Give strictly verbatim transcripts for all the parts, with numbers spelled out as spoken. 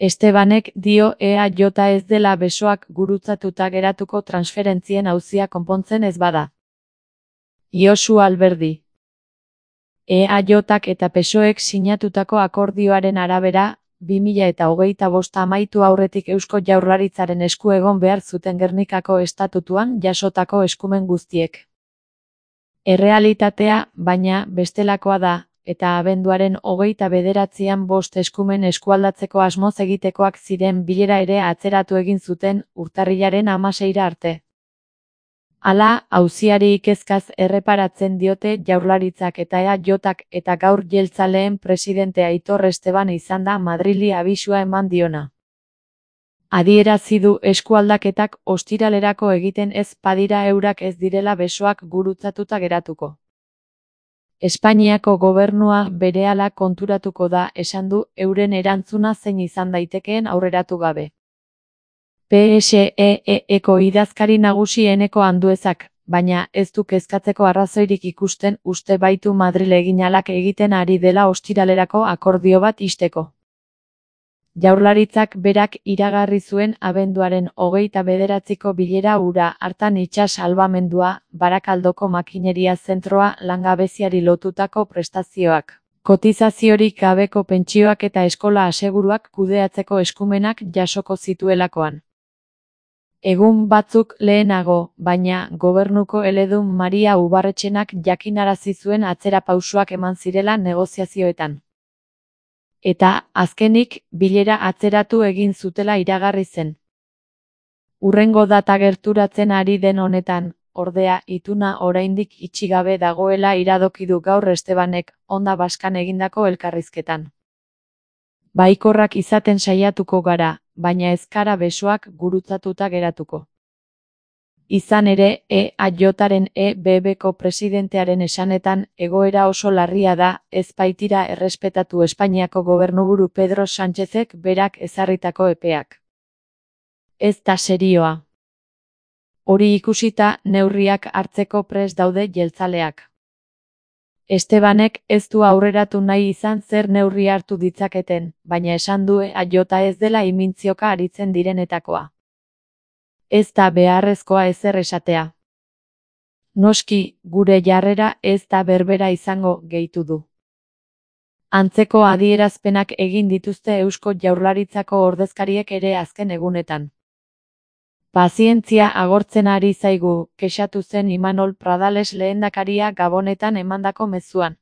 Estebanek dio E A J ez dela besoak gurutzatuta geratuko transferentzien auzia konpontzen ez bada. Josu Alberdi. E A Jak eta P S O ek sinatutako akordioaren arabera, bi mila eta hogeita bost amaitu aurretik Eusko Jaurlaritzaren esku egon behar zuten Gernikako estatutuan jasotako eskumen guztiek. Errealitatea, baina, bestelakoa da, eta abenduaren hogeita bederatzian bost eskumen eskualdatzeko asmoz egitekoak ziren bilera ere atzeratu egin zuten urtarrilaren hamaseira arte. Hala, auziari ikezkaz erreparatzen diote Jaurlaritzak eta E A Jak eta gaur jeltzaleen presidente Aitor Esteban izan da Madrili abisua eman diona. Adierazi du eskualdaketak ostiralerako egiten ez badira eurak ez direla besoak gurutzatuta geratuko. Espainiako gobernua berehala konturatuko da esan du euren erantzuna zein izan daitekeen aurreratu gabe. P S E E-eko idazkari nagusi Eneko Anduezak, baina ez du kezkatzeko arrazoirik ikusten uste baitu Madril eginalak egiten ari dela ostiralerako akordio bat ixteko. Jaurlaritzak berak iragarri zuen abenduaren hogeita bederatziko bilera hura hartan itsas salbamendua, Barakaldoko makineria zentroa langabeziari lotutako prestazioak, kotizaziorik gabeko pentsioak eta eskola aseguruak kudeatzeko eskumenak jasoko zituelakoan. Egun batzuk lehenago, baina, gobernuko eledun Maria Ubarretxenak jakinarazi zuen atzerapausoak eman zirela negoziazioetan. Eta, azkenik, bilera atzeratu egin zutela iragarri zen. Hurrengo data gerturatzen ari den honetan, ordea, ituna oraindik itxi gabe dagoela iradoki du gaur Estebanek, Onda Baskan egindako elkarrizketan. Baikorrak izaten saiatuko gara, baina ez gara besoak gurutzatuta geratuko. Izan ere, E A Jaren E B B-ko presidentearen esanetan, egoera oso larria da, ez baitira errespetatu Espainiako gobernuburu Pedro Sánchezek berak ezarritako epeak. Ez da serioa. Hori ikusita, neurriak hartzeko prest daude jeltzaleak. Estebanek ez du aurreratu nahi izan zer neurri hartu ditzaketen, baina esan du E A J ez dela imintzioka aritzen direnetakoa. Ez da beharrezkoa ezer esatea. Noski, gure jarrera ez da berbera izango, gehitu du. Antzeko adierazpenak egin dituzte Eusko Jaurlaritzako ordezkariek ere azken egunetan. Pazientzia agortzen ari zaigu, kexatu zen Imanol Pradales lehendakaria Gabonetan emandako mezuan.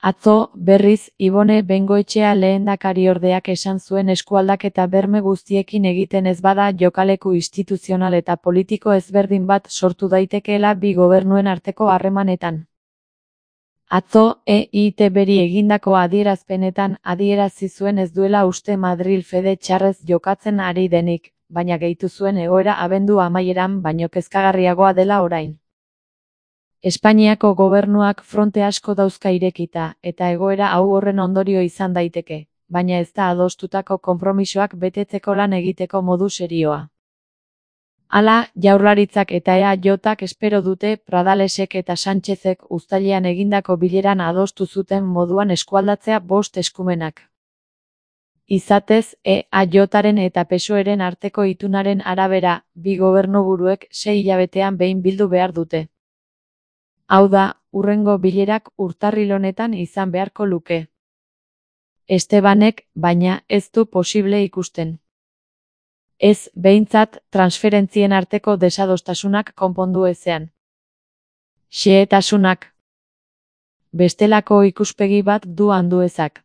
Atzo, berriz, Ibone Bengoetxea lehendakariordeak esan zuen eskualdaketa berme guztiekin egiten ez bada jokaleku instituzional eta politiko ezberdin bat sortu daitekeela bi gobernuen arteko harremanetan. Atzo, E I T B-ri egindako adierazpenetan adierazi zuen ez duela uste Madril fede txarrez jokatzen ari denik, baina gehitu zuen egoera abendu amaieran baino kezkagarriagoa dela orain. Espainiako gobernuak fronte asko dauzka irekita, eta egoera hau horren ondorio izan daiteke, baina ez da adostutako konpromisoak betetzeko lan egiteko modu serioa. Hala, Jaurlaritzak eta E A Jak espero dute Pradalesek eta Sánchezek uztailean egindako bileran adostu zuten moduan eskualdatzea bost eskumenak. Izatez, E A Jaren eta P S O eren arteko itunaren arabera, bi gobernuburuek sei hilabetean behin bildu behar dute. Hau da, hurrengo bilerak urtarril honetan izan beharko luke. Estebanek, baina, ez du posible ikusten. Ez, behintzat, transferentzien arteko desadostasunak konpondu ezean. Xehetasunak. Bestelako ikuspegi bat du Anduezak.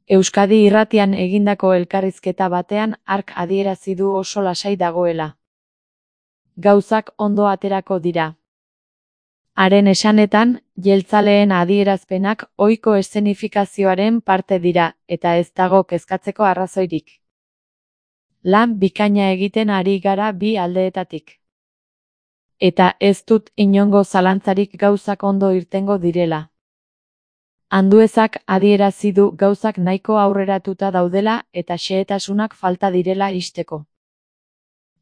Euskadi Irratian egindako elkarrizketa batean hark adierazi du oso lasai dagoela. Gauzak ondo aterako dira. Haren esanetan, jeltzaleen adierazpenak ohiko eszenifikazioaren parte dira, eta ez dago kezkatzeko arrazoirik. Lan bikaina egiten ari gara bi aldeetatik. Eta ez dut inongo zalantzarik gauzak ondo irtengo direla. Anduezak adierazi du gauzak nahiko aurreratuta daudela eta xehetasunak falta direla ixteko.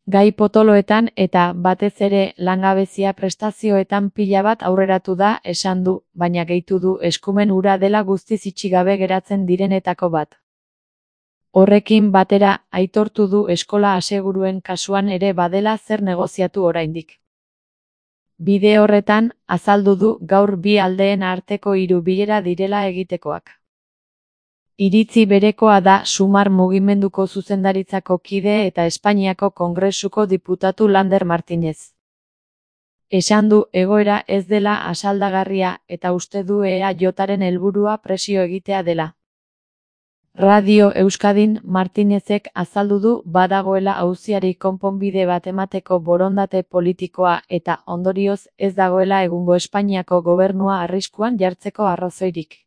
Gai potoloetan eta, batez ere, langabezia prestazioetan pila bat aurreratu da esan du, baina gehitu du eskumen hura dela guztiz itxi gabe geratzen direnetako bat. Horrekin batera, aitortu du eskola aseguruen kasuan ere badela zer negoziatu oraindik. Bide horretan, azaldu du gaur bi aldeen arteko hiru bilera direla egitekoak. Iritzi berekoa da Sumar mugimenduko zuzendaritzako kide eta Espainiako Kongresuko diputatu Lander Martínez. Esan du egoera ez dela asaldagarria eta uste du E A Jaren helburua presio egitea dela. Radio Euskadin Martínezek azaldu du badagoela auziari konponbide bat emateko borondate politikoa eta ondorioz ez dagoela egungo Espainiako gobernua arriskuan jartzeko arrazoirik.